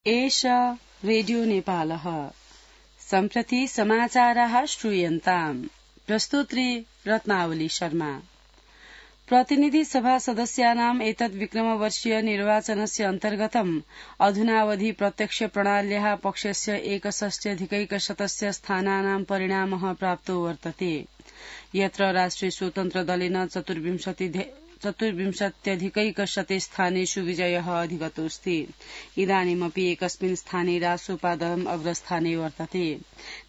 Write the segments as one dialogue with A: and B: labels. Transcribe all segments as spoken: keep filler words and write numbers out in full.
A: एष रेडियो नेपालः सम्प्रति समाचाराः श्रूयन्ताम्। प्रस्तुत्री रत्नावली शर्मा। प्रतिनिधि सभा सदस्यानाम् एतत् विक्रमवर्षीय निर्वाचनस्य अन्तर्गतम् अधुनावधि प्रत्यक्ष प्रणाल्याः पक्षस्य एकषष्ट्यधिकैकशतस्य स्थानानां परिणामः प्राप्तो वर्तते, यत्र राष्ट्रिय स्वतन्त्र दलेन चतुर्विंशति चतुर्विंशत्यधिकैकशते स्थानेषु विजयः अधिगतोऽस्ति। इदानीमपि एकस्मिन् स्थाने रासोपा दलम् अग्रस्थाने वर्तते।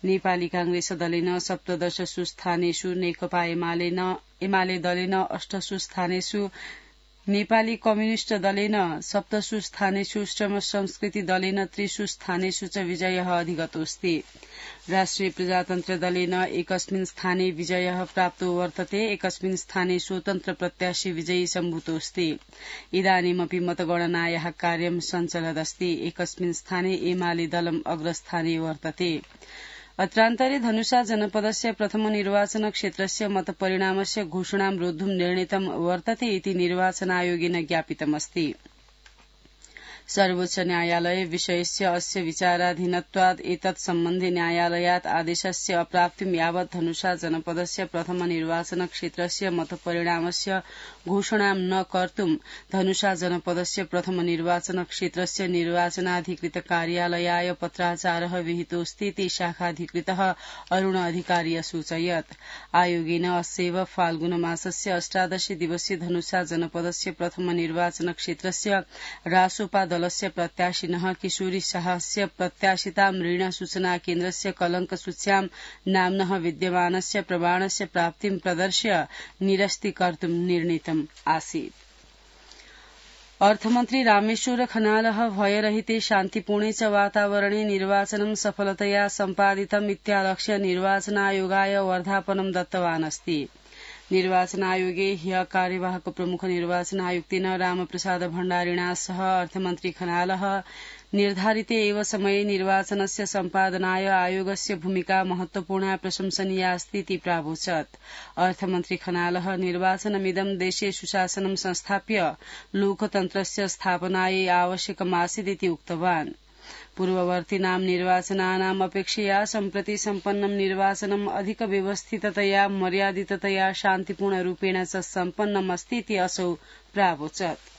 A: नेपाली कांग्रेस दलेन सप्तदशसु स्थानेषु, नेकपा एमाले दलेन अष्टसु स्थानेषु, नेपाली कम्युनिष्ट दलेन सप्तसु स्थानेषु, श्रम संस्कृति दलेन त्रिषु स्थानेषु च विजयः अधिगतोऽस्ति। राष्ट्रिय प्रजातन्त्र दलेन एकस्मिन् स्थाने विजयः प्राप्तो वर्तते, एकस्मिन् स्थाने स्वतन्त्र प्रत्याशी विजयी सम्भूतोऽस्ति। इदानीमपि मतगणनायाः कार्यं सञ्चलदस्ति। एकस्मिन् स्थाने एमाले दलम् अग्रस्थाने वर्तते। अत्रान्तरे धनुषा जनपदस्य प्रथम निर्वाचन क्षेत्रस्य मतपरिणामस्य घोषणां रोद्धुं निर्णीतं वर्तते इति निर्वाचन आयोगेन ज्ञापितमस्ति। सर्वोच्च न्यायालये विषयस्य अस्य विचाराधीनत्वात् एतत् सम्बन्धे न्यायालयात् आदेशस्य अप्राप्तिं यावत् धनुषा जनपदस्य प्रथम निर्वाचन क्षेत्रस्य मतपरिणामस्य घोषणां न कर्तुं धनुषा जनपदस्य प्रथम निर्वाचन क्षेत्रस्य निर्वाचनाधिकृत कार्यालयाय पत्राचारः विहितोऽस्ति इति शाखाधिकृतः अरुण अधिकारी असूचयत्। आयोगेन अस्यैव फाल्गुन मासस्य अष्टादश दिवसीय धनुषा जनपदस्य प्रथम निर्वाचन क्षेत्रस्य रासोपा दलस्य प्रत्याशिनः किशोरी शाहस्य प्रत्याशितां ऋण सूचना केन्द्रस्य कलंक सूच्यां नाम्नः विद्यमानस्य प्रमाणस्य प्राप्तिं प्रदर्श्य निरस्तीकर्तुं निर्णीतम् आसीत्। अर्थमन्त्री रामेश्वर खनालः भयरहिते शान्तिपूर्णे च वातावरणे निर्वाचनं सफलतया सम्पादितम् इत्यालक्ष्य निर्वाचनायोगाय वर्धापनं दत्तवान् अस्ति। निर्वाचन आयोगे ह्यः कार्यवाहक प्रमुख निर्वाचन आयुक्तेन रामप्रसाद भण्डारिणा सह अर्थमन्त्री खनालः निर्धारिते एव समये निर्वाचनस्य सम्पादनाय आयोगस्य भूमिका महत्वपूर्णा प्रशंसनीया अस्ति इति प्रावोचत्। अर्थमन्त्री खनालः निर्वाचनमिदं देशे सुशासनं संस्थाप्य लोकतन्त्रस्य स्थापनायै आवश्यकमासीदिति उक्तवान्। पूर्ववर्तीनां निर्वाचनानाम् अपेक्षया सम्प्रति सम्पन्नं निर्वाचनम् अधिक व्यवस्थिततया, मर्यादिततया, शान्तिपूर्णरूपेण च सम्पन्नमस्ति इति असौ प्रावोचत्।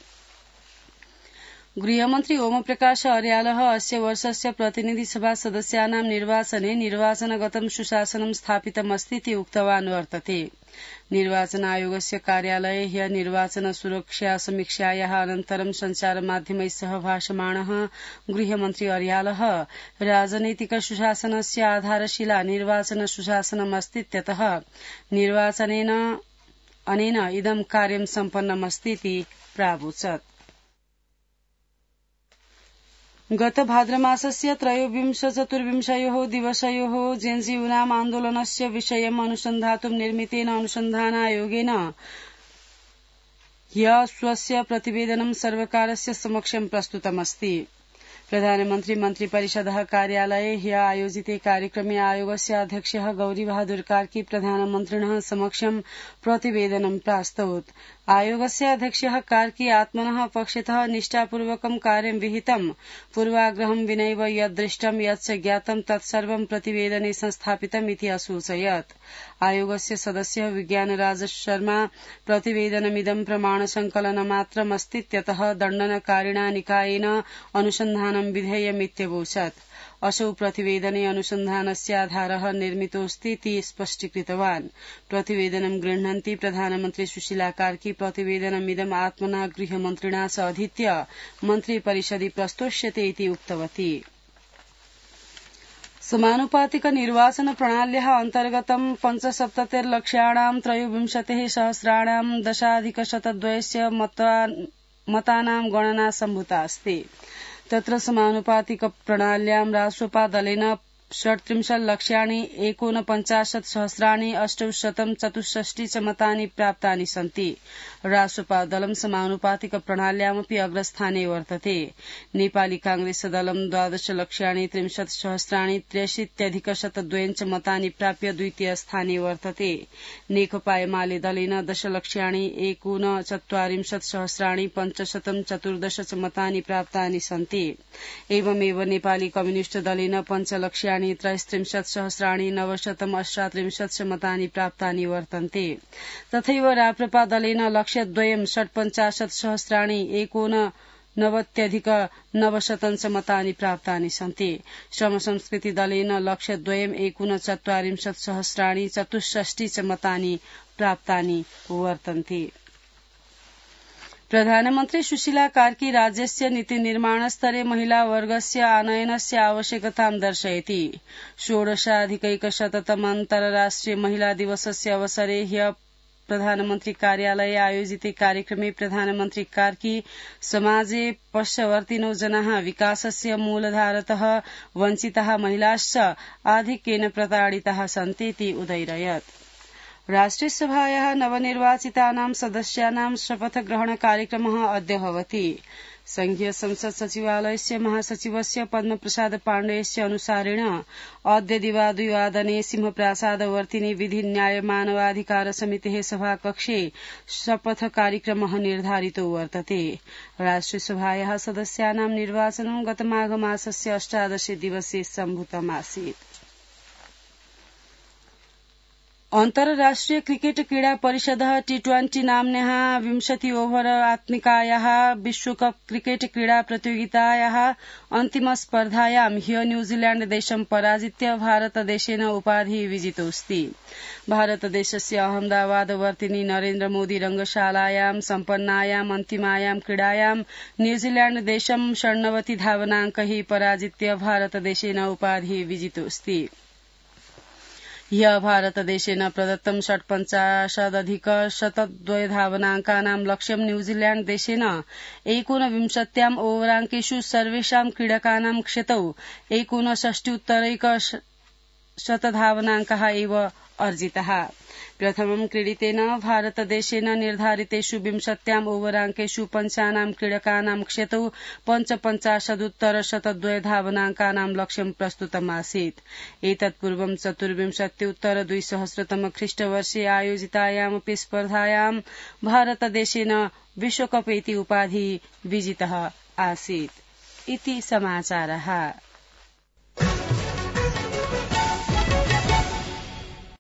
A: गृहमन्त्री ओमप्रकाश अर्यालः अस्य वर्षस्य प्रतिनिधि सभा सदस्यानां निर्वाचने निर्वाचनगतं सुशासनं स्थापितमस्ति इति उक्तवान् वर्तते। निर्वाचन आयोगस्य कार्यालये ह्यः निर्वाचन सुरक्षा समीक्षायाः अनन्तरं सञ्चारमाध्यमैः सह भाषमाणः गृहमन्त्री अर्यालः राजनैतिक सुशासनस्य आधारशिला निर्वाचन सुशासनमस्तीत्यतः निर्वाचनेन अनेन इदं कार्यं सम्पन्नमस्ति इति प्रावोचत्। गत भाद्रमासस्य त्रयोविंश चतुर्विंशयोः दिवसयोः जेन्जीयूनाम् आन्दोलनस्य विषयम् अनुसन्धातुं निर्मितेन अनुसन्धानायोगेन ह्यः स्वस्य प्रतिवेदनं सर्वकारस्य समक्षं प्रस्तुतमस्ति। प्रधानमन्त्री मन्त्रिपरिषदः कार्यालये ह्यः आयोजिते कार्यक्रमे आयोगस्य अध्यक्षः गौरीबहादुर कार्की प्रधानमन्त्रिणः समक्षं प्रतिवेदनं प्रास्तौत्। आयोगस्य अध्यक्षः कार्की आत्मनः पक्षतः निष्ठापूर्वकं कार्यं विहितं, पूर्वाग्रहं विनैव यद् दृष्टं यच्च ज्ञातं तत्सर्वं प्रतिवेदने संस्थापितम् इति असूचयत्। आयोगस्य सदस्यः विज्ञानराज शर्मा प्रतिवेदनमिदं प्रमाणसङ्कलनमात्रमस्तीत्यतः दण्डनकारिणा निकायेन अनुसन्धानं विधेयमित्यवोचत्। असौ प्रतिवेदने अनुसन्धानस्य आधारः निर्मितोऽस्तीति स्पष्टीकृतवान्। प्रतिवेदनं गृह्णन्ती प्रधानमन्त्री सुशीला कार्की प्रतिवेदनमिदम् आत्मना गृहमन्त्रिणा च अधीत्य मन्त्रिपरिषदि प्रस्तोष्यते इति उक्तवती। समानुपातिक निर्वाचन प्रणाल्याः अन्तर्गतं पञ्चसप्ततिर्लक्षाणां त्रयोविंशतिः सहस्राणां दशाधिकशतद्वयस्य मतानां गणना सम्भूता अस्ति। तत्र समानुपातिक प्रणाल्यां रासोपा दलेन षट्त्रिंशत् लक्ष्याणि एकोनपञ्चाशत् सहस्राणि अष्टौशतं चतुष्षष्टि च मतानि प्राप्तानि सन्ति। रासोपा दलं समानुपातिक प्रणाल्यामपि अग्रस्थाने वर्तते। नेपाली कांग्रेस दलं द्वादश लक्ष्याणि त्रिंशत् सहस्राणि त्र्यशीत्यधिक शतद्वयञ्च मतानि प्राप्य द्वितीय स्थाने वर्तते। नेकपा एमाले दलेन दश लक्ष्याणि एकोनचत्वारिंशत् सहस्राणि पञ्चशतं चतुर्दश च मतानि प्राप्तानि सन्ति। एवमेव नेपाली कम्युनिष्ट दलेन पञ्चलक्ष्याणि त्रयस्त्रिंशत् सहस्राणि नवशतम् अष्टात्रिंशत् च मतानि प्राप्तानि वर्तन्ते। तथैव राप्रपा दलेन लक्ष्यद्वयं षट्पञ्चाशत् सहस्राणि एकोन नवत्यधिक नवशतं च मतानि प्राप्तानि सन्ति। श्रम संस्कृति दलेन लक्ष्यद्वयं एकोनचत्वारिंशत् सहस्राणि चतुष्षष्टि च मतानि प्राप्तानि वर्तन्ते। प्रधानमन्त्री सुशीला कार्की राज्यस्य नीतिनिर्माणस्तरे महिलावर्गस्य आनयनस्य आवश्यकतां दर्शयति। षोडशाधिकैकशततम अन्तर्राष्ट्रिय महिला दिवसस्य अवसरे ह्य प्रधानमन्त्री कार्यालये आयोजिते कार्यक्रमे प्रधानमन्त्री कार्की समाजे पश्यवर्तिनो जनाः विकासस्य मूलधारतः वञ्चिताः महिलाश्च आधिक्येन प्रताडिताः सन्तीति उदयरयत्। राष्ट्रियसभायाः नवनिर्वाचितानां सदस्यानां शपथग्रहण कार्यक्रमः अद्य भवति। संघीय संसद सचिवालयस्य महासचिवस्य पद्मप्रसाद पाण्डेयस्य अनुसारेण अद्य दिवाद्विवादने सिंहप्रासादवर्तिनि विधि न्याय मानवाधिकार समितेः सभाकक्षे शपथ कार्यक्रमः निर्धारितो वर्तते। राष्ट्रियसभायाः सदस्यानां निर्वाचनं गतमाघमासस्य अष्टादशे दिवसे सम्भूतमासीत्। अन्तर्राष्ट्रिय क्रिकेट क्रीडा परिषदः टी ट्वेंटी नाम्न्याः विंशति ओभर आत्मिकायाः विश्वकप क्रिकेट क्रीडा प्रतियोगितायाः अन्तिम स्पर्धायां ह्य न्यूजीलैण्ड देशं पराजित्य भारतदेशेन उपाधिः विजितोऽस्ति। भारतदेशस्य अहमदाबादवर्तिनि नरेन्द्र मोदी रंगशालायां सम्पन्नायाम् अन्तिमायां क्रीडायां न्यूजीलैण्ड देशं षण्णवति धावनाङ्कैः पराजित्य भारतदेशेन उपाधिः विजितोऽस्ति। ह्यः भारतदेशेन प्रदत्तं षट्पञ्चाशदधिक शतद्वय धावनाङ्कानां लक्ष्यं न्यूजीलैण्ड देशेन एकोनविंशत्याम् ओवराङ्केषु सर्वेषां क्रीडकानां क्षतौ एकोनषष्ट्युत्तरैक शतधावनाङ्काः एव अर्जिताः। प्रथमं क्रीडितेन भारतदेशेन निर्धारितेषु विंशत्याम् ओवराङ्केषु पञ्चानां क्रीडकानां क्षतौ पञ्चपञ्चाशदुत्तर शतद्वय धावनाङ्कानां लक्ष्यं प्रस्तुतमासीत्। एतत्पूर्वं चतुर्विंशत्युत्तर द्विसहस्रतम ख्रीष्टवर्षे आयोजितायामपि स्पर्धायां भारतदेशेन विश्वकप इति उपाधिः विजितः आसीत्। इति समाचारः।